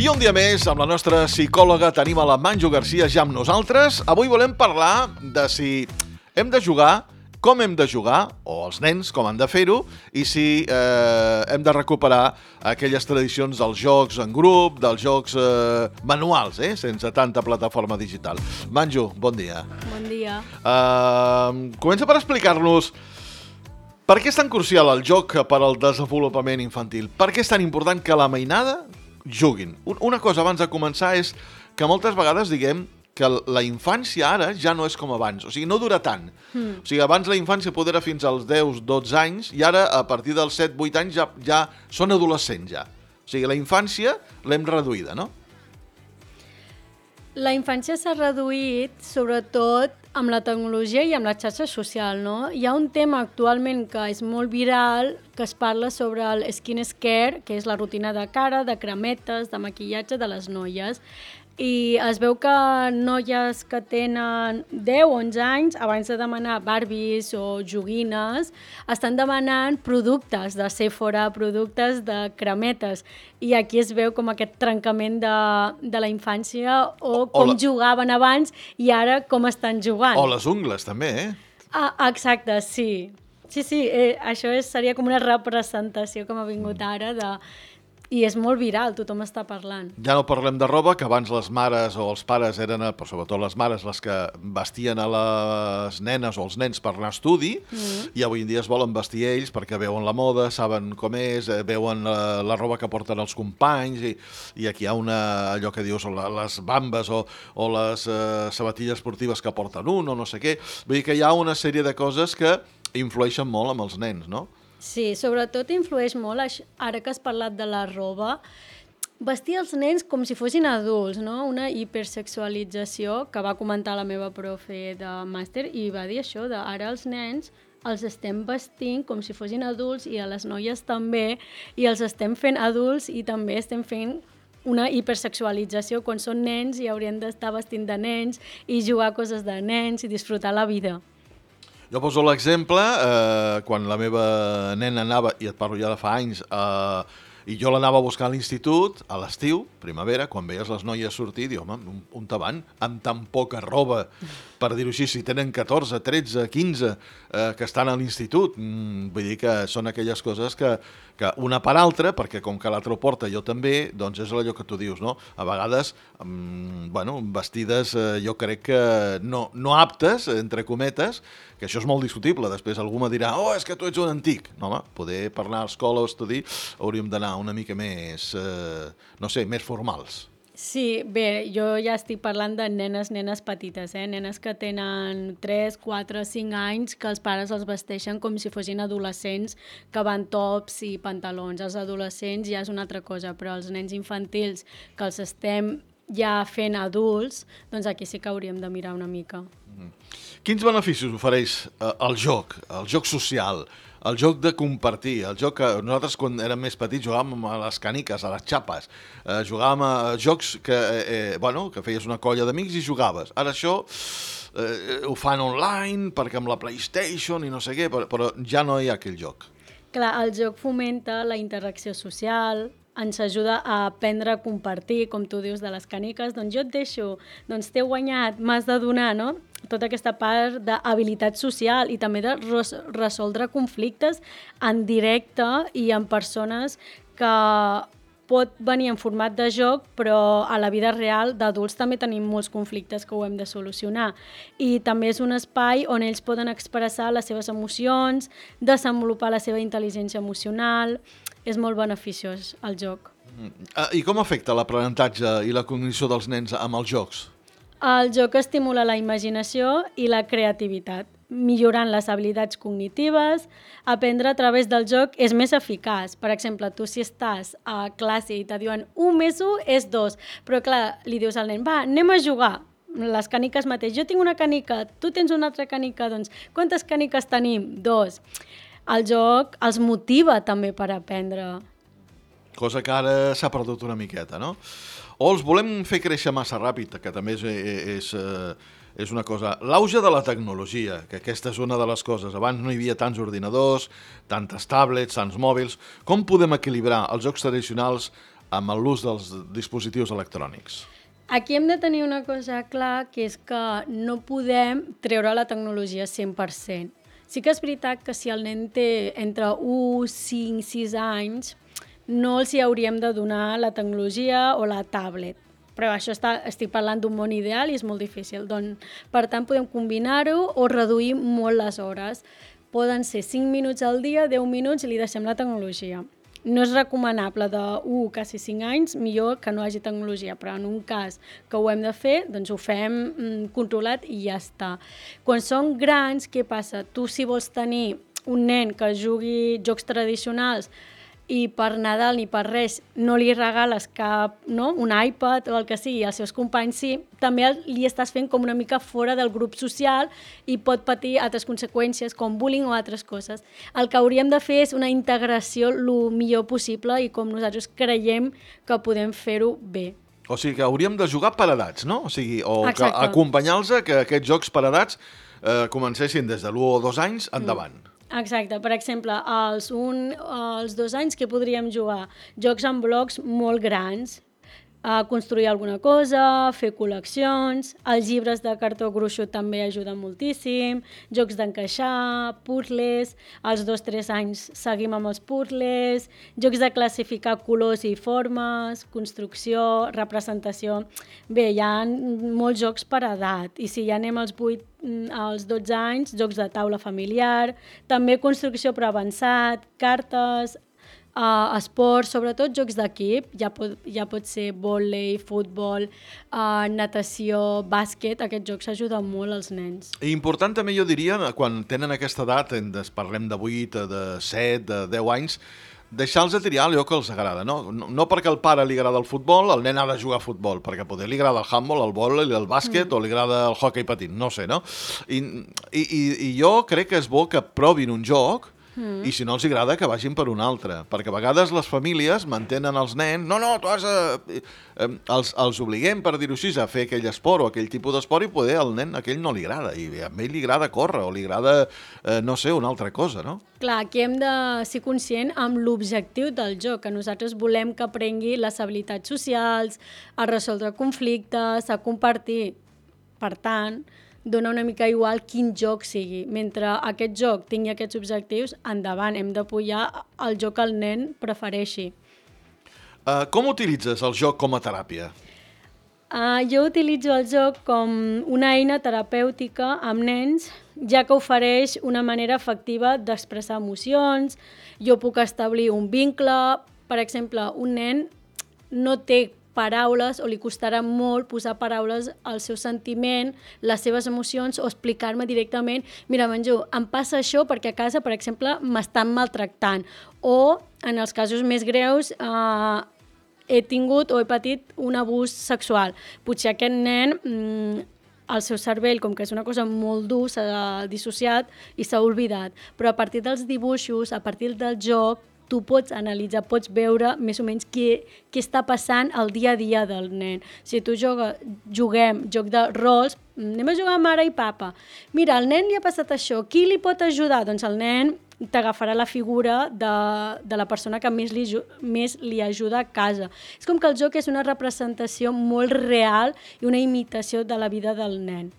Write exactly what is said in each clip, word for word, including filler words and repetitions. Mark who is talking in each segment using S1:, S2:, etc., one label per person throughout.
S1: I un dia més, amb la nostra psicòloga, tenim a la Manju Garcia ja amb nosaltres. Avui volem parlar de si hem de jugar, com hem de jugar, o els nens com han de fer-ho, i si eh, hem de recuperar aquelles tradicions dels jocs en grup, dels jocs eh, manuals, eh, sense tanta plataforma digital. Manju, bon dia.
S2: Bon dia.
S1: Uh, comença per explicar-nos per què és tan crucial el joc per al desenvolupament infantil. Per què és tan important que la mainada juguin? Una cosa abans de començar és que moltes vegades diguem que la infància ara ja no és com abans, o sigui, no dura tant. Mm. O sigui, abans la infància poder era fins als deu dotze anys i ara a partir dels set vuit anys ja, ja són adolescents ja. O sigui, la infància l'hem reduïda, no?
S2: La infància s'ha reduït sobretot amb la tecnologia i amb la xarxa social, no? Hi ha un tema actualment que és molt viral, que es parla sobre el skin care, que és la rutina de cara, de cremetes, de maquillatge de les noies. I es veu que noies que tenen deu o onze anys, abans de demanar Barbies o joguines, estan demanant productes de Sephora, productes de cremetes. I aquí es veu com aquest trencament de, de la infància o com o la... jugaven abans i ara com estan jugant.
S1: O les ungles, també, eh?
S2: Ah, exacte, sí. Sí, sí, eh, això és, seria com una representació que m'ha vingut ara de... I és molt viral, tothom està parlant.
S1: Ja no parlem de roba, que abans les mares o els pares eren, però sobretot les mares, les que vestien a les nenes o els nens per anar a estudi, mm. i avui en dia es volen vestir ells perquè veuen la moda, saben com és, veuen la, la roba que porten els companys, i, i aquí hi ha una, allò que dius, les bambes o, o les uh, sabatilles esportives que porten un o no sé què. Vull dir que hi ha una sèrie de coses que influeixen molt amb els nens, no?
S2: Sí, sobretot influeix molt, ara que has parlat de la roba, vestir els nens com si fossin adults, no? Una hipersexualització que va comentar la meva profe de màster i va dir això, de ara els nens els estem vestint com si fossin adults i a les noies també, i els estem fent adults i també estem fent una hipersexualització quan són nens i haurien d'estar vestint de nens i jugar coses de nens i disfrutar la vida.
S1: Jo poso l'exemple, eh, quan la meva nena anava, i et parlo ja de fa anys, eh, i jo l'anava a buscar a l'institut, a l'estiu, primavera, quan veies les noies sortir, diu, home, on, on te van? Amb tan poca roba, per dir-ho així, si tenen catorze, tretze, quinze, eh, que estan a l'institut. Mm, vull dir que són aquelles coses que, que una per altra, perquè com que l'altre ho porta jo també, doncs és allò que tu dius, no? A vegades, mm, bueno, vestides eh, jo crec que no, no aptes, entre cometes, que això és molt discutible. Després algú me dirà, oh, és que tu ets un antic. No, home, poder per anar a escola o estudiar hauríem d'anar una mica més, eh, no sé, més formals.
S2: Sí, bé, jo ja estic parlant de nenes, nenes petites, eh? Nenes que tenen tres, quatre, cinc anys, que els pares els vesteixen com si fossin adolescents, que van tops i pantalons. Els adolescents ja és una altra cosa, però els nens infantils que els estem ja fent adults, doncs aquí sí que hauríem de mirar una mica.
S1: Mm. Quins beneficis ofereix eh, el joc, el joc social, el joc de compartir, el joc que nosaltres quan érem més petits jugàvem a les caniques, a les xapes, eh, jugàvem a jocs que, eh, bueno, que feies una colla d'amics i jugaves. Ara això eh, ho fan online perquè amb la PlayStation i no sé què, però, però ja no hi ha aquell joc.
S2: Clar, el joc fomenta la interacció social, ens ajuda a aprendre a compartir, com tu dius, de les caniques, doncs jo et deixo, doncs t'he guanyat, m'has de donar, no? Tota aquesta part d'habilitat social i també de res- resoldre conflictes en directe i amb persones que pot venir en format de joc, però a la vida real d'adults també tenim molts conflictes que ho hem de solucionar. I també és un espai on ells poden expressar les seves emocions, desenvolupar la seva intel·ligència emocional. És molt beneficiós el joc.
S1: I com afecta l'aprenentatge i la cognició dels nens amb els jocs?
S2: El joc estimula la imaginació i la creativitat, millorant les habilitats cognitives. Aprendre a través del joc és més eficaç. Per exemple, tu si estàs a classe i te diuen un més un és dos, però clar, li dius al nen, va, anem a jugar. Les caniques mateix. Jo tinc una canica, tu tens una altra canica, doncs quantes caniques tenim? Dos. El joc els motiva també per aprendre.
S1: Cosa que ara s'ha perdut una miqueta, no? O els volem fer créixer massa ràpid, que també és, és, és una cosa. L'auge de la tecnologia, que aquesta és una de les coses. Abans no hi havia tants ordinadors, tantes tablets, tants mòbils. Com podem equilibrar els jocs tradicionals amb l'ús dels dispositius electrònics?
S2: Aquí hem de tenir una cosa clar, que és que no podem treure la tecnologia cent per cent. Sí que és veritat que si el nen té entre u, cinc, sis anys, no els hi hauríem de donar la tecnologia o la tablet. Però això està, estic parlant d'un món ideal i és molt difícil. Doncs, per tant, podem combinar-ho o reduir molt les hores. Poden ser cinc minuts al dia, deu minuts i li deixem la tecnologia. No és recomanable de u, quasi cinc anys, millor que no hagi tecnologia, però en un cas que ho hem de fer, doncs ho fem mm, controlat i ja està. Quan són grans, què passa? Tu, si vols tenir un nen que jugui jocs tradicionals i per Nadal ni per res no li regales cap, no? un iPad o el que sigui, als seus companys sí, també li estàs fent com una mica fora del grup social i pot patir altres conseqüències com bullying o altres coses. El que hauríem de fer és una integració el millor possible i com nosaltres creiem que podem fer-ho bé.
S1: O sigui que hauríem de jugar per edats, no? O sigui, o
S2: Exacte.
S1: acompanyar-los a que aquests jocs per edats eh, comencessin des de l'u o dos anys endavant. Mm.
S2: Exacte. Per exemple, als, un, als dos anys que podríem jugar jocs en blocs molt grans, a construir alguna cosa, fer col·leccions, els llibres de cartó gruixut també ajuden moltíssim, jocs d'encaixar, puzzles, als dos o tres anys seguim amb els puzzles, jocs de classificar colors i formes, construcció, representació. Bé, hi ha molts jocs per edat i si ja anem als vuit als dotze anys, jocs de taula familiar, també construcció per avançat, cartes, uh, esports, sobretot jocs d'equip, ja pot, ja pot ser vòlei, futbol, uh, natació, bàsquet, aquests jocs ajuden molt als nens.
S1: I important també jo diria, quan tenen aquesta edat, parlem de vuit, de set, de deu anys, deixar-los a triar allò que els agrada, no? No, no perquè al pare li agrada el futbol, el nen ha de jugar a futbol, perquè poder li agrada el handball, el vòlei, el bàsquet, mm. o li agrada el hockey patint, no sé, no? I, i, i jo crec que és bo que provin un joc, mm. i si no els agrada que vagin per un altre, perquè a vegades les famílies mantenen els nens, no, no, tu has a... Eh, els, els obliguem, per dir-ho així, a fer aquell esport o aquell tipus d'esport i poder al nen aquell no li agrada, i a ell li agrada córrer o li agrada, eh, no sé, una altra cosa, no?
S2: Clar, aquí hem de ser conscient amb l'objectiu del joc, que nosaltres volem que aprengui les habilitats socials, a resoldre conflictes, a compartir. Per tant, dona una mica igual quin joc sigui. Mentre aquest joc tingui aquests objectius, endavant, hem d'apoyar el joc que el nen prefereixi.
S1: Uh, com utilitzes el joc com a teràpia?
S2: Uh, jo utilitzo el joc com una eina terapèutica amb nens, ja que ofereix una manera efectiva d'expressar emocions. Jo puc establir un vincle. Per exemple, un nen no té paraules o li costarà molt posar paraules al seu sentiment, les seves emocions o explicar-me directament mira, Manjú, em passa això perquè a casa, per exemple, m'estan maltractant o, en els casos més greus, eh, he tingut o he patit un abús sexual. Potser aquest nen, mmm, el seu cervell, com que és una cosa molt dur, s'ha dissociat i s'ha oblidat. Però a partir dels dibuixos, a partir del joc, tu pots analitzar, pots veure més o menys què, què està passant al dia a dia del nen. Si tu joga, juguem joc de rols, anem a jugar amb mare i papa. Mira, al nen li ha passat això, qui li pot ajudar? Doncs el nen t'agafarà la figura de, de la persona que més li, més li ajuda a casa. És com que el joc és una representació molt real i una imitació de la vida del nen.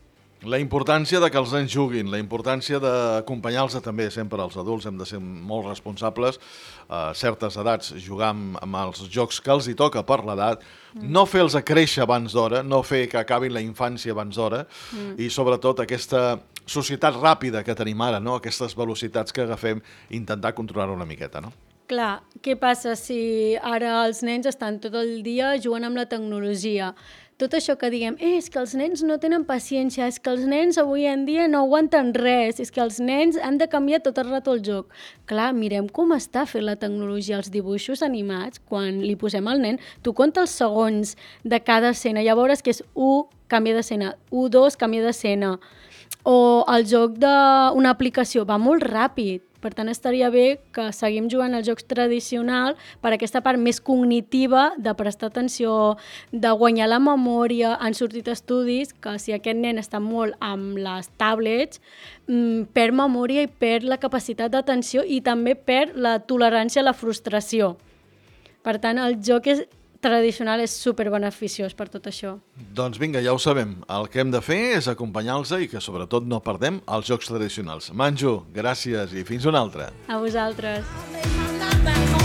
S1: La importància de que els nens juguin, la importància d'acompanyar-los també, sempre els adults hem de ser molt responsables, a certes edats jugar amb, amb els jocs que els hi toca per l'edat, mm. no fer-los créixer abans d'hora, no fer que acabin la infància abans d'hora, mm. i sobretot aquesta societat ràpida que tenim ara, no? Aquestes velocitats que agafem, intentar controlar-ho una miqueta, no?
S2: Clar, què passa si ara els nens estan tot el dia jugant amb la tecnologia? Tot això que diguem, eh, és que els nens no tenen paciència, és que els nens avui en dia no aguanten res, és que els nens han de canviar tot el rato el joc. Clar, mirem com està fent la tecnologia, els dibuixos animats, quan li posem al nen, tu compta els segons de cada escena, ja veuràs que és u, canvia d'escena, u, dos, canvia d'escena. O el joc d'una aplicació va molt ràpid, per tant estaria bé que seguim jugant als jocs tradicionals per aquesta part més cognitiva de prestar atenció, de guanyar la memòria. Han sortit estudis que si aquest nen està molt amb les tablets, perd memòria i perd la capacitat d'atenció i també perd la tolerància a la frustració. Per tant, el joc és tradicional és superbeneficiós per tot això.
S1: Doncs vinga, ja ho sabem. El que hem de fer és acompanyar-los i que sobretot no perdem els jocs tradicionals. Manjo, gràcies i fins una altra.
S2: A vosaltres.